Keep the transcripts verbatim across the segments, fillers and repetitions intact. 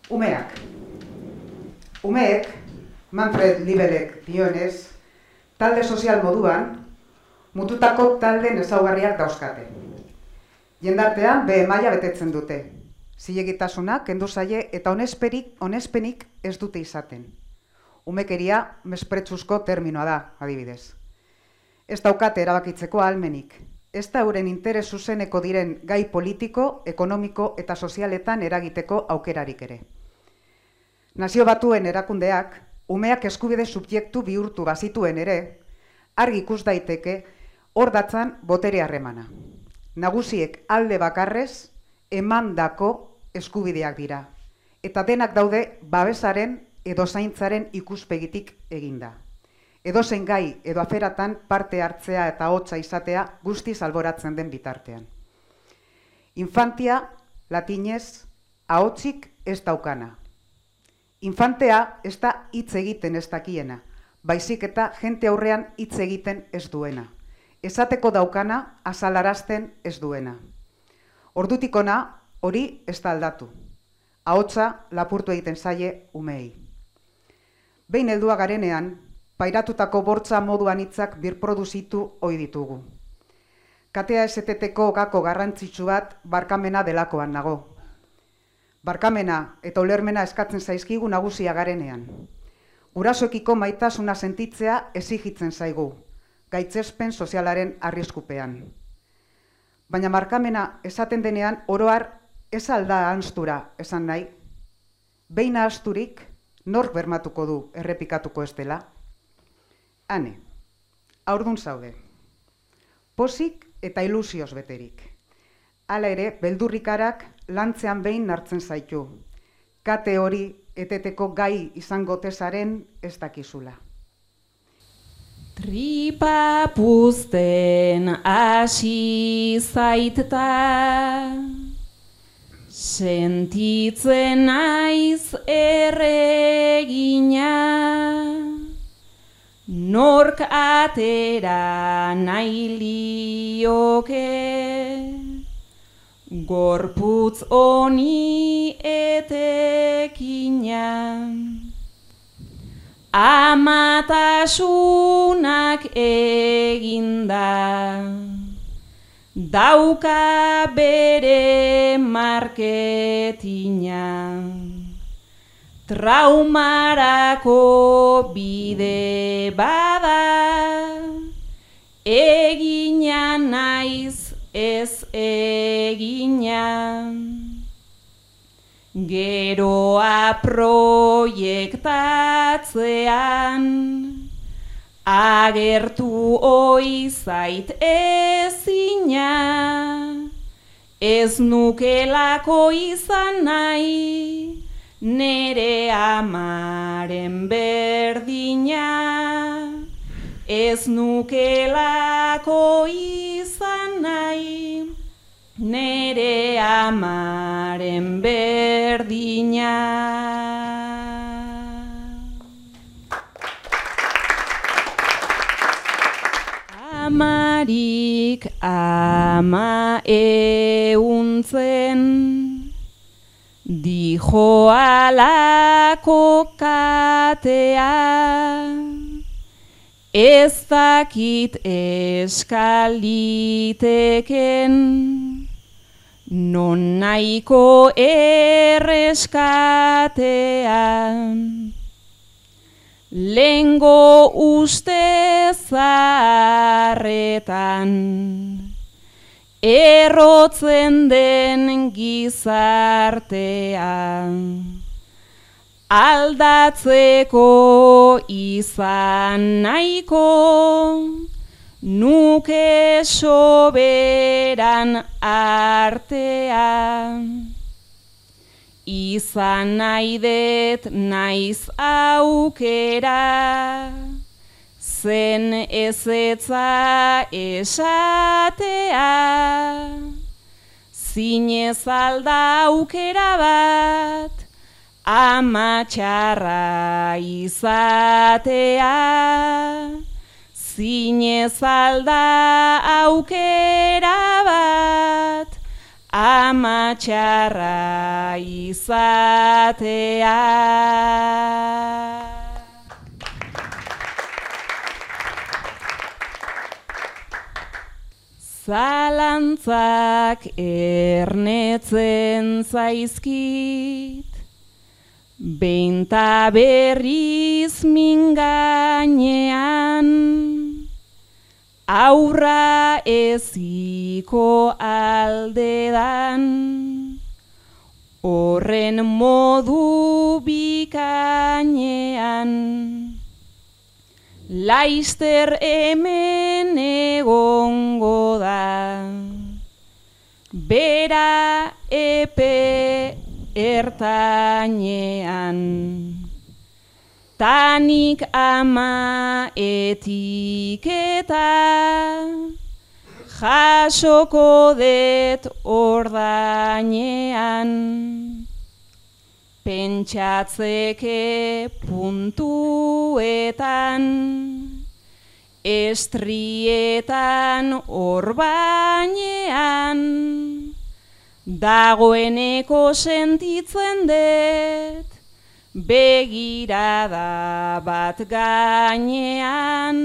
Umeak. Umeek, Manfred Libelek dionez, talde sozial moduan, mututako talden ezaugarriak dauzkate. Jendartean behe maila betetzen dute. Zilegitasuna kendu zaie eta onesperik, onespenik ez dute izaten. Umekeria mespretsuzko terminoa da, adibidez. Ez daukate erabakitzeko ahalmenik. Ez da euren interes zuzeneko diren gai politiko, ekonomiko eta sozialetan eragiteko aukerarik ere. Nazio Batuen erakundeak, umeak eskubide subjektu bihurtu bazituen ere, argi ikus daiteke hor datzan botere harremana. Nagusiek alde bakarrez emandako eskubideak dira, eta denak daude babesaren edo zaintzaren ikuspegitik eginda. Edozein gai edo aferatan parte hartzea eta hotza izatea guztiz alboratzen den bitartean. Infantia, latinez, ahotsik ez daukana. Infantea ez da hitz egiten ez dakiena, baizik eta jente aurrean hitz egiten ez duena. Esateko daukana azalarazten ez duena. Ordutik hona hori ez da aldatu. Ahotsa lapurtu egiten zaie umeei. Behin heldua garenean, pairatutako bortza moduan hitzak birproduzitu ohi ditugu. Katea eseteteko gako garrantzitsu bat barkamena delakoan nago. Barkamena eta ulermena eskatzen zaizkigu nagusia garenean. Gurasoekiko maitasuna sentitzea exigitzen zaigu, gaitzespen sozialaren arriskupean. Baina barkamena esaten denean oroar ez alda ahanstura esan nahi. Behin ahasturik nork bermatuko du errepikatuko ez dela. Hane, haurdun zaude. Pozik eta ilusioz beterik. Hala ere, beldurrikarak lantzean behin hartzen zaitu. Kate hori eteteko gai izango tezaren ez dakizula. Tripa puzten hasi zaiteta, sentitzen naiz erregina, nork atera nahi lioke, gorputz honi etekina. Amatasunak eginda, dauka bere marketina. Traumarako bide bada, egina naiz ez egina. Geroa proiektatzean, agertu ohi zait ezina, ez nukelako izan nahi, nere amaren berdina, ez nukelako izan nahi, nere amaren berdina. Amarik ama euntzen, dijo alako katea, ez dakit eskaliteken, non nahiko erreskatean. Lengo uste zaharretan, errotzen den gizartean. Aldatzeko izan nahiko, nuke soberan artean. Izan nahi det naiz aukera, zen ezetza esatea. Zinez alda aukera bat, ama txarra izatea. Zinez alda aukera bat, ama txarra izatea. Zalantzak ernetzen zaizkit, behin ta berriz mingainean, aurra eziko aldedan, horren modu bikainean. Laister hemen egongo da, bera epe ertainean. Tanik ama etiketa, jasoko det ordainean. Pentsatzeke puntuetan, estrietan orbainean, dagoeneko sentitzen dut, begirada bat gainean.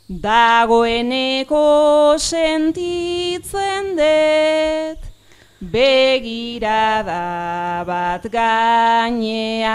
Dagoeneko sentitzen dut, begirada bat gainean.